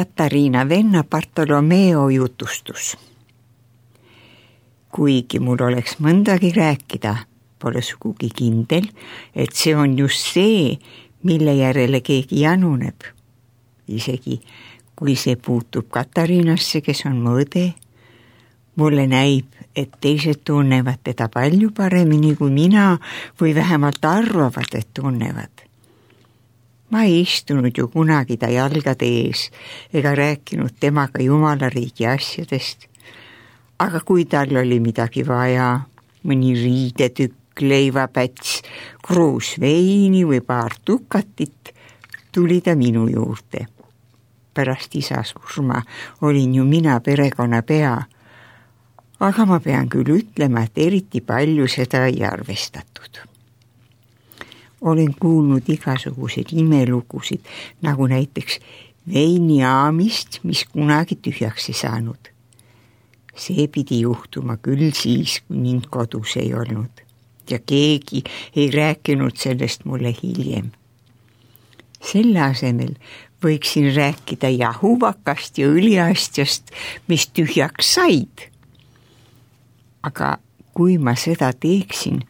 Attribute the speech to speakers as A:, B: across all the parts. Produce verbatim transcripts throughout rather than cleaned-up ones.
A: Katariina venna Bartolomeo jutustus. Kuigi mul oleks mõndagi rääkida, pole sugugi kindel, et see on just see, mille järele keegi januneb. Isegi kui see puutub Katariinasse, kes on mu õde, mulle näib, et teised tunnevad teda palju paremini kui mina või vähemalt arvavad, et tunnevad. Ma ei istunud ju kunagi ta jalgade ees ega rääkinud temaga jumalariigi asjadest, aga kui tal oli midagi vaja, mõni riidetükk, leivapäts, kruus veini või paar tukatit, tuli ta minu juurde. Pärast isa surma olin ju mina perekonna pea, aga ma pean küll ütlema, et eriti palju seda ei arvestatud. Olen kuulnud igasuguseid imelugusid, nagu näiteks veiniaamist, mis kunagi tühjaks ei saanud. See pidi juhtuma küll siis, kui mind kodus ei olnud ja keegi ei rääkinud sellest mulle hiljem. Selle asemel võiksin rääkida jahuvakast ja õliastjast, mis tühjaks said. Aga kui ma seda teeksin,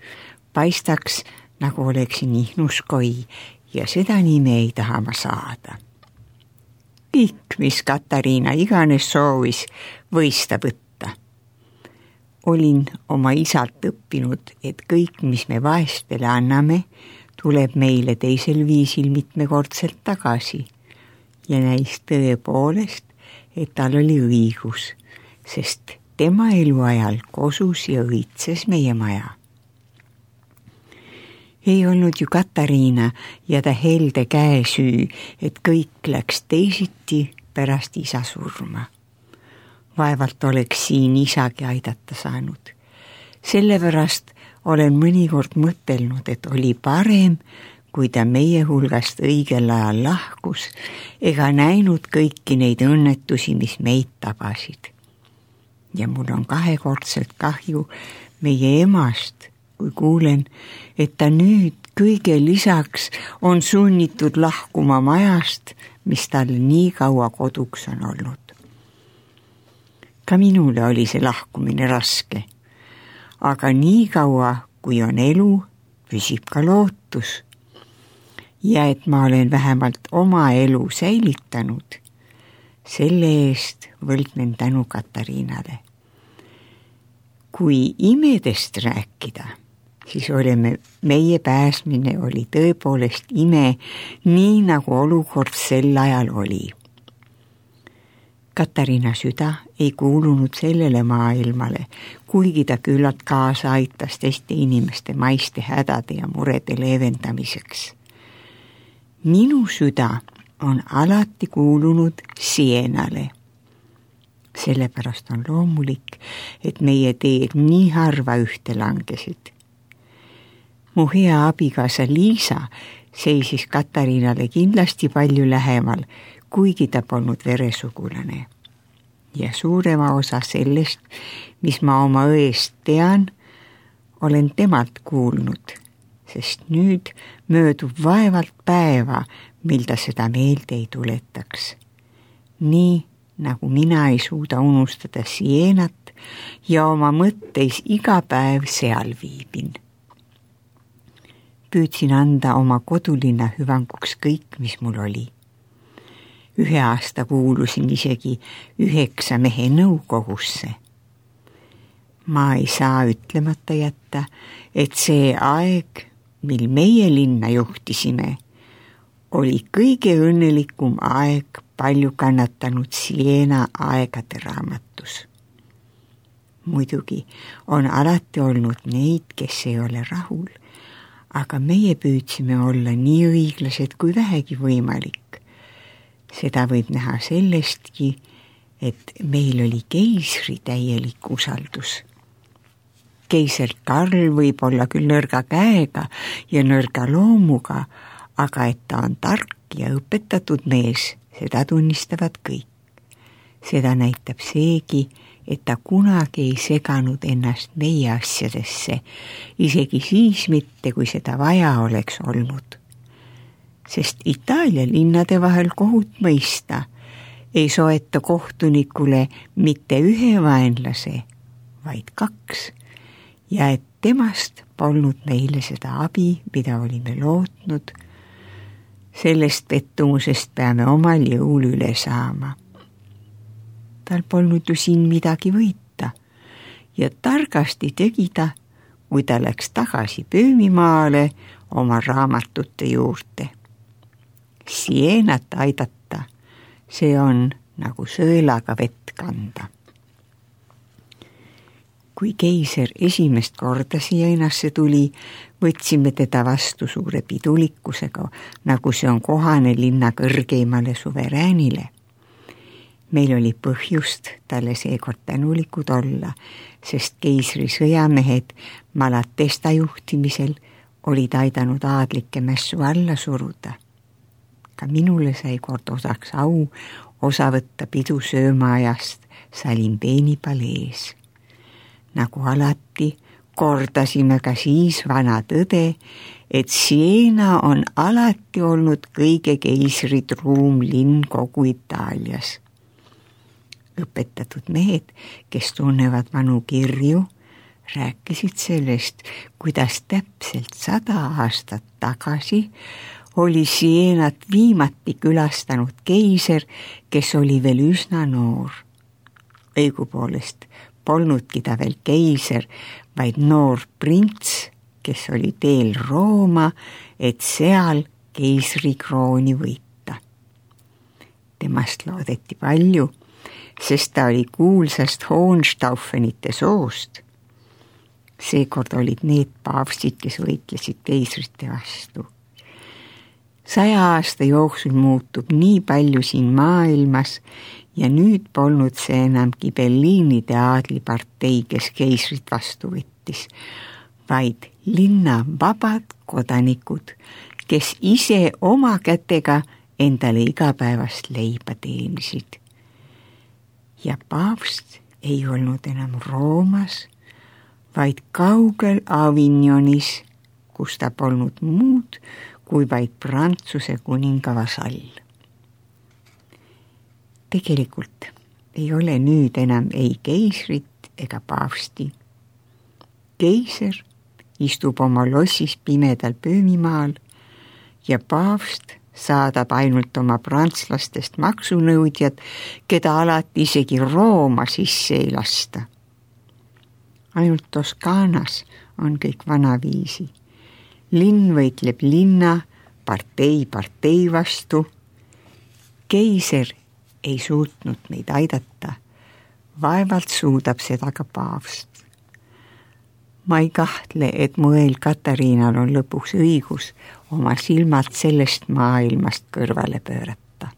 A: paistaks, nagu oleksin ihnuskoi ja seda nime ei taha ma saada. Kõik, mis Katariina iganes soovis, võis ta võtta. Olin oma isalt õppinud, et kõik, mis me vaestele anname, tuleb meile teisel viisil mitmekordselt tagasi ja näis tõepoolest, et tal oli õigus, sest tema eluajal kosus ja õitses meie maja. Ei olnud ju Katariina ja ta helde käe süü, et kõik läks teisiti pärast isa surma. Vaevalt oleks siin isagi aidata saanud. Sellepärast olen mõnikord mõtelnud, et oli parem, kui ta meie hulgast õigel ajal lahkus ega näinud kõiki neid õnnetusi, mis meid tabasid. Ja mul on kahekordselt kahju meie emast, kui kuulen, et ta nüüd kõige lisaks on sunnitud lahkuma majast, mis tal nii kaua koduks on olnud. Ka minule oli see lahkumine raske, aga nii kaua, kui on elu, püsib ka lootus. Ja et ma olen vähemalt oma elu säilitanud, selle eest võlgnen tänu Katariinale. Kui imedest rääkida, siis oleme, meie pääsmine oli tõepoolest ime, nii nagu olukord sel ajal oli. Katariina süda ei kuulunud sellele maailmale, kuigi ta küllalt kaasa aitas teiste inimeste maiste hädade ja murede leevendamiseks. Minu süda on alati kuulunud Sienale. Sellepärast on loomulik, et meie teed nii harva ühte langesid. Mu hea abikaasa Liisa seisis Katariinale kindlasti palju lähemal, kuigi ta polnud veresugulane. Ja suurema osa sellest, mis ma oma õest tean, olen temalt kuulnud, sest nüüd möödub vaevalt päeva, mil ta seda meelde ei tuletaks. Nii nagu mina ei suuda unustada Sienat ja oma mõtteis iga päev seal viibin. Püüdsin anda oma kodulinna hüvanguks kõik, mis mul oli. Ühe aasta kuulusin isegi üheksa mehe nõukogusse. Ma ei saa ütlemata jätta, et see aeg, mil meie linna juhtisime, oli kõige õnnelikum aeg palju kannatanud Siena aegade raamatus. Muidugi on alati olnud neid, kes ei ole rahul, aga meie püüdsime olla nii õiglased kui vähegi võimalik. Seda võib näha sellestki, et meil oli keisri täielik usaldus. Keiser Karl võib olla küll nõrga käega ja nõrga loomuga, aga et ta on tark ja õpetatud mees, seda tunnistavad kõik. Seda näitab seegi, et ta kunagi ei seganud ennast meie asjadesse, isegi siis mitte, kui seda vaja oleks olnud. Sest Itaalia linnade vahel kohut mõista, ei soeta kohtunikule mitte ühe vaenlase, vaid kaks ja et temast polnud meile seda abi, mida olime lootnud. Sellest pettumusest peame omal jõul üle saama. Tal polnud ju siin midagi võita ja targasti tegi ta, kui ta läks tagasi Pöömimaale oma raamatute juurde. Sienat aidata, see on nagu sõelaga vett kanda. Kui keiser esimest korda Sienasse tuli, võtsime teda vastu suure pidulikkusega, nagu see on kohane linna kõrgeimale suveräänile. Meil oli põhjust talle seekord tänulikud olla, sest keisri sõjamehed Malatesta juhtimisel olid aidanud aadlikke mässu alla suruda. Ka minule sai kord osaks au osa võtta pidu söömaajast Salimbeeni palees. Nagu alati kordasime ka siis vana tõde, et Siena on alati olnud kõige keisritruum linn kogu Itaalias. Õpetatud mehed, kes tunnevad vanu kirju, rääkisid sellest, kuidas täpselt sada aastat tagasi oli Sienat viimati külastanud keiser, kes oli veel üsna noor. Õigupoolest polnudki ta veel keiser, vaid noor prints, kes oli teel Rooma, et seal keisrikrooni võita. Temast loodeti palju, sest ta oli kuulsast Hohenstaufenite soost. Seekord olid need paavstid, kes võitlesid keisrite vastu. Saja aasta jooksul muutub nii palju siin maailmas ja nüüd polnud see enam Ghibellinide aadlipartei, kes keisrit vastu võttis, vaid linna vabad kodanikud, kes ise oma kätega endale igapäevast leiba teenisid. Ja paavst ei olnud enam Roomas, vaid kaugel Avignonis, kus ta polnud muud kui vaid Prantsuse kuninga vasall. Tegelikult ei ole nüüd enam ei keisrit ega paavsti. Keiser istub oma lossis pimedal Pöömimaal ja paavst saadab ainult oma prantslastest maksunõudjad, keda alati isegi Rooma sisse ei lasta. Ainult Toskaanas on kõik vanaviisi. Linn võitleb linna, partei partei vastu. Keiser ei suutnud meid aidata. Vaevalt suudab seda ka paavst. Ma ei kahtle, et mu eel Katariinal on lõpuks õigus oma silmad sellest maailmast kõrvale pöörata.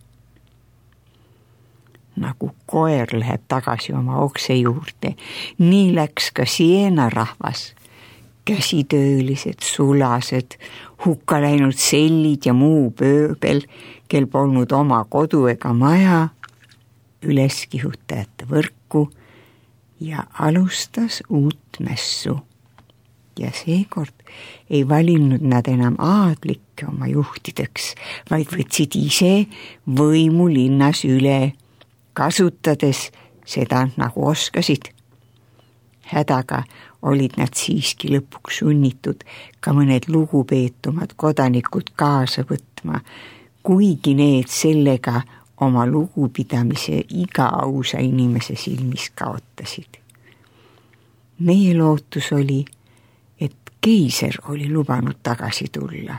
A: Nagu koer läheb tagasi oma okse juurde, nii läks ka Siena rahvas. Käsitöölised, sulased, hukka läinud sellid ja muu pööbel, kel polnud oma kodu ega maja, üleskihutajate võrku ja alustas uut mässu. Ja seekord ei valinud nad enam aadlikke oma juhtideks, vaid võtsid ise võimu linnas üle, kasutades seda nagu oskasid. Hädaga olid nad siiski lõpuks sunnitud ka mõned lugupeetumad kodanikud kaasa võtma, kuigi need sellega oma lugupidamise iga ausa inimese silmis kaotasid. Meie lootus oli, et keiser oli lubanud tagasi tulla.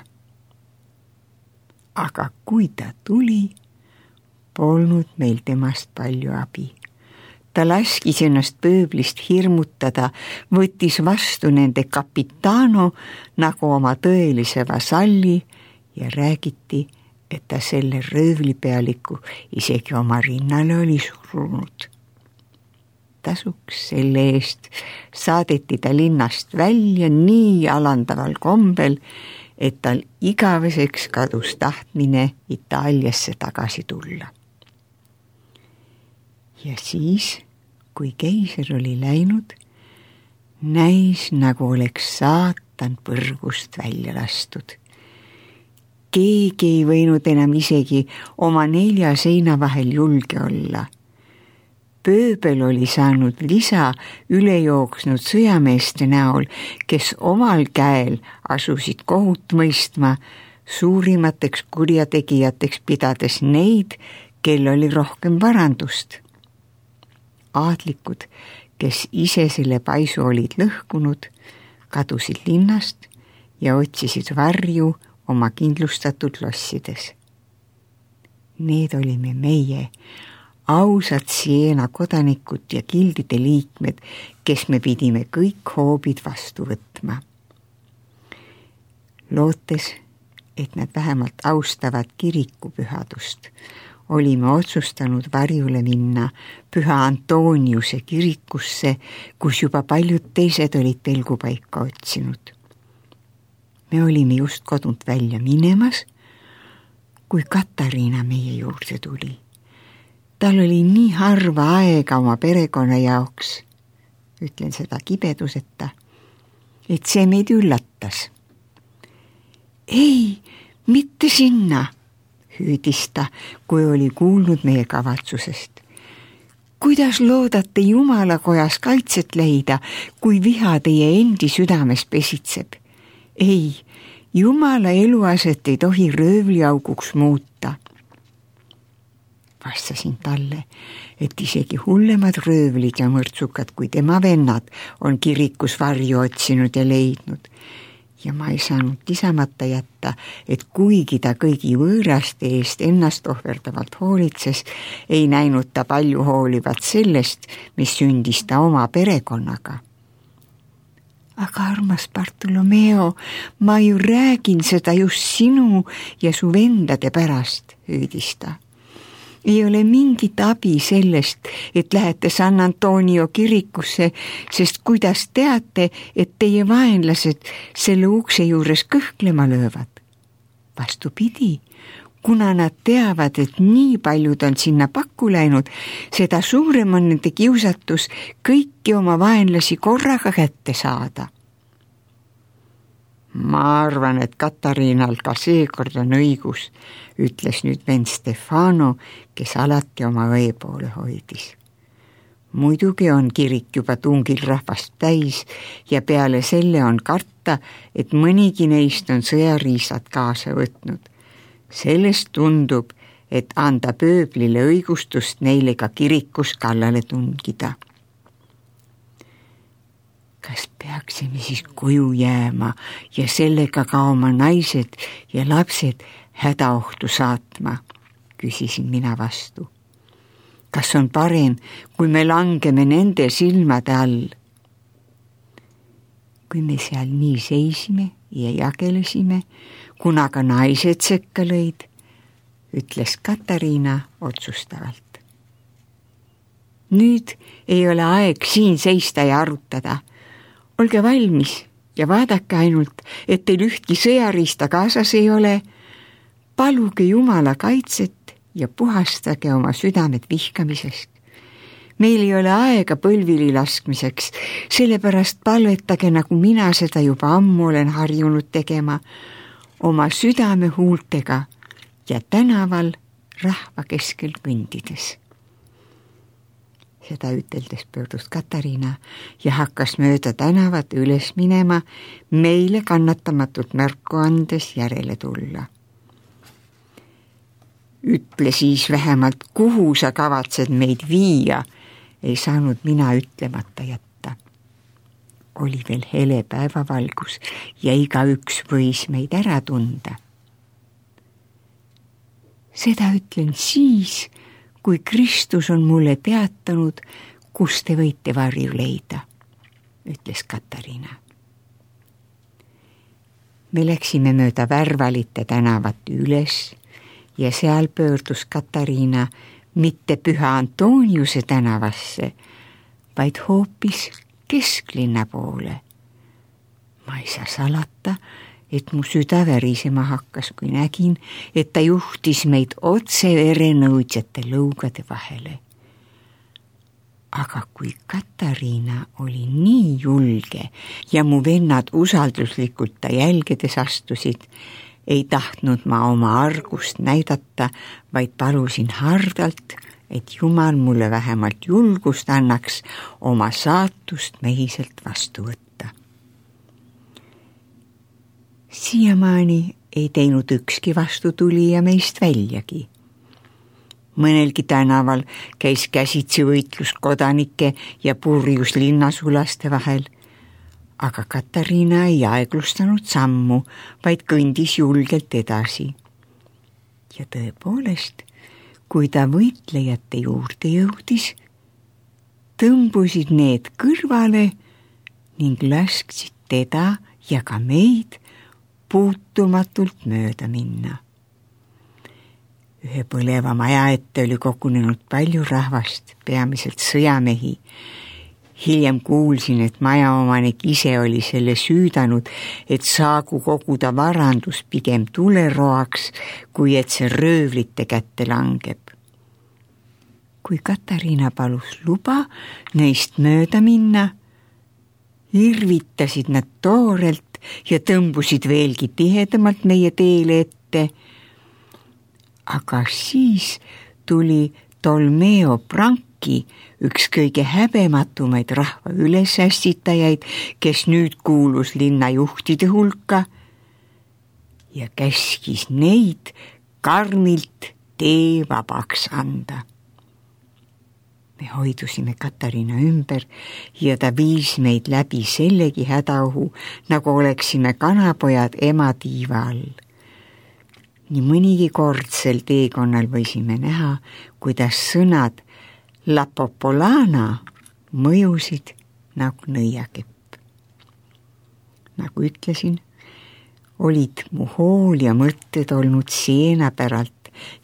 A: Aga kui ta tuli, polnud meil temast palju abi. Ta laskis ennast pööblist hirmutada, võttis vastu nende kapitano nagu oma tõelise vasalli ja räägiti, et ta selle röövlipealiku isegi oma rinnale oli surunud. Tasuks selle eest saadeti ta linnast välja nii alandaval kombel, et tal igaveseks kadus tahtmine Itaaliasse tagasi tulla. Ja siis, kui keiser oli läinud, näis nagu oleks saatan põrgust välja lastud. keegi ei võinud enam isegi oma nelja seina vahel julge olla. Pööbel oli saanud lisa ülejooksnud sõjameeste näol, kes omal käel asusid kohut mõistma, suurimateks kurjategijateks pidades neid, kel oli rohkem varandust. Aadlikud, kes ise selle paisu olid lõhkunud, kadusid linnast ja otsisid varju oma kindlustatud lossides. Need olime meie, ausad Siena kodanikud ja gildide liikmed, kes me pidime kõik hoobid vastu võtma. Lootes, et nad vähemalt austavad kirikupühadust, olime otsustanud varjule minna Püha Antoniuse kirikusse, kus juba paljud teised olid pelgupaika otsinud. Me olime just kodunt välja minemas, kui Katariina meie juurde tuli. Tal oli nii harva aega oma perekonna jaoks, ütlen seda kibeduseta, et see meid üllatas. Ei, mitte sinna, hüüdis ta, kui oli kuulnud meie kavatsusest. Kuidas loodate Jumala kojas kaitset leida, kui viha teie endi südames pesitseb? Ei, Jumala eluaset ei tohi röövliauguks muuta. Vastasin talle, et isegi hullemad röövlid ja mõrtsukad kui tema vennad on kirikus varju otsinud ja leidnud. Ja ma ei saanud lisamata jätta, et kuigi ta kõigi võõraste eest ennast ohverdavalt hoolitses, ei näinud ta palju hoolivat sellest, mis sündis ta oma perekonnaga. Aga armas Bartolomeo, ma ju räägin seda just sinu ja su vendade pärast, hüüdis ta. Ei ole mingit abi sellest, et lähete San Antonio kirikusse, sest kuidas teate, et teie vaenlased selle ukse juures kõhklema löövad? Vastupidi, kuna nad teavad, et nii paljud on sinna pakku läinud, seda suurem on nende kiusatus kõiki oma vaenlasi korraga kätte saada. Ma arvan, et Katariinal ka seekord on õigus, ütles nüüd vend Stefano, kes alati oma õe poole hoidis. Muidugi on kirik juba tungil rahvast täis ja peale selle on karta, et mõnigi neist on sõjariisad kaasa võtnud. Sellest tundub, et anda pööblile õigustust neile ka kirikus kallale tungida. Kas peaksime siis koju jääma ja sellega ka oma naised ja lapsed hädaohtu saatma, küsisin mina vastu. Kas on parem, kui me langeme nende silmade all? Kui me seal nii seisime ja jagelesime, kuna ka naised sekka lõid, ütles Katariina otsustavalt. Nüüd ei ole aeg siin seista ja arutada. Olge valmis ja vaadake ainult, et teil ühtki sõjariista kaasas ei ole. Paluge Jumala kaitset ja puhastage oma südamed vihkamisest. Meil ei ole aega põlvili laskmiseks, sellepärast palvetage, nagu mina seda juba ammu olen harjunud tegema, oma südame huultega ja tänaval rahva keskel kõndides. Seda üteldes pöördus Katariina ja hakkas mööda tänavat üles minema, meile kannatamatult märku andes järele tulla. Ütle siis vähemalt, kuhu sa kavatsed meid viia, ei saanud mina ütlemata jätta. Oli veel hele päevavalgus ja igaüks võis meid ära tunda. Seda ütlen siis, kui Kristus on mulle teatanud, kus te võite varju leida, ütles Katariina. Me läksime mööda Värvalite tänavat üles ja seal pöördus Katariina mitte Püha Antoniuse tänavasse, vaid hoopis kesklinna poole. Ma ei saa salata, et mu süda värisema hakkas, kui nägin, et ta juhtis meid otse verenõudjate lõugade vahele. Aga kui Katariina oli nii julge ja mu vennad usalduslikult ta jälgedes astusid, ei tahtnud ma oma argust näidata, vaid palusin hardalt, et Jumal mulle vähemalt julgust annaks oma saatust mehiselt vastu võtta. Siiamaani ei teinud ükski vastutulija meist väljagi. Mõnelgi tänaval käis käsitsi võitlus kodanike ja purjus linnasulaste vahel, aga Katariina ei aeglustanud sammu, vaid kõndis julgelt edasi. Ja tõepoolest, kui ta võitlejate juurde jõudis, tõmbusid need kõrvale ning lasksid teda ja ka meid puutumatult mööda minna. Ühe põleva maja ette oli kogunenud palju rahvast, peamiselt sõjamehi. Hiljem kuulsin, et majaomanik ise oli selle süüdanud, et saagu koguda varandus pigem tuleroaks, kui et see röövlite kätte langeb. Kui Katariina palus luba neist mööda minna, irvitasid nad toorelt ja tõmbusid veelgi tihedamalt meie teele ette. Aga siis tuli Tolmeo Branki, üks kõige häbematumaid rahva ülesässitajaid, kes nüüd kuulus linnajuhtide hulka ja käskis neid karmilt tee vabaks anda. Me hoidusime Katariina ümber ja ta viis meid läbi sellegi hädaohu, nagu oleksime kanapojad ema tiiva all. Nii mõnigi kord sel teekonnal võisime näha, kuidas sõnad La Popolana mõjusid nagu nõiakepp. Nagu ütlesin, olid mu hool ja mõtted olnud Siena päralt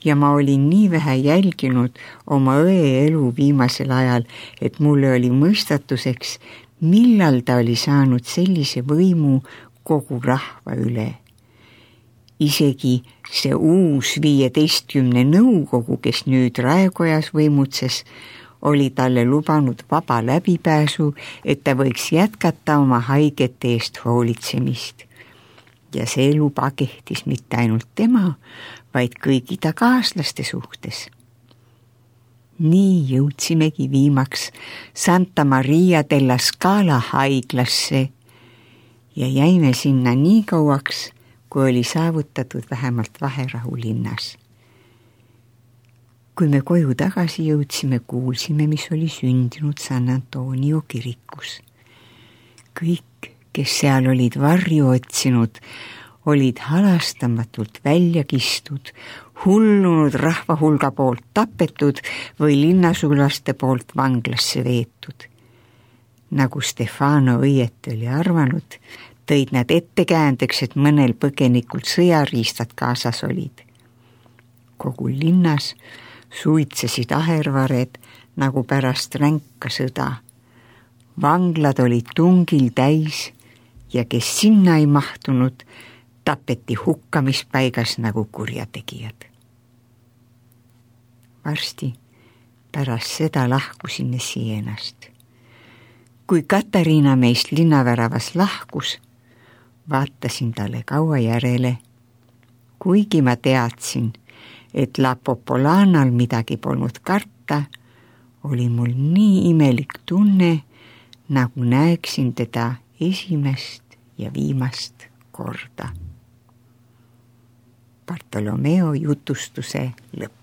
A: ja ma olin nii vähe jälginud oma õe elu viimasel ajal, et mulle oli mõistatuseks, millal ta oli saanud sellise võimu kogu rahva üle. Isegi see uus viieteistkümne nõukogu, kes nüüd Raekojas võimutses, oli talle lubanud vaba läbipääsu, et ta võiks jätkata oma haigete eest hoolitsemist. Ja see luba kehtis mitte ainult tema, vaid kõigi ta kaaslaste suhtes. Nii jõudsimegi viimaks Santa Maria della Scala haiglasse ja jäime sinna nii kauaks, kui oli saavutatud vähemalt vaherahu linnas. Kui me koju tagasi jõudsime, kuulsime, mis oli sündinud San Antonio kirikus. Kõik, kes seal olid varju otsinud, olid halastamatult välja kistud, hullunud rahva hulga poolt tapetud või linnasulaste poolt vanglasse veetud. Nagu Stefano õieti oli arvanud, tõid nad ettekäändeks, et mõnel põgenikul sõjariistad kaasas olid. Kogu linnas suitsesid ahervared nagu pärast ränka sõda. Vanglad olid tungil täis ja kes sinna ei mahtunud, tapeti hukkamispaigas nagu kurjategijad. Varsti pärast seda lahkusime Sienast. Kui Katariina meist linnaväravas lahkus, vaatasin talle kaua järele, kuigi ma teadsin, et La Popolanal midagi polnud karta, oli mul nii imelik tunne, nagu näeksin teda esimest ja viimast korda. Bartolomeo jutustuse lõpp.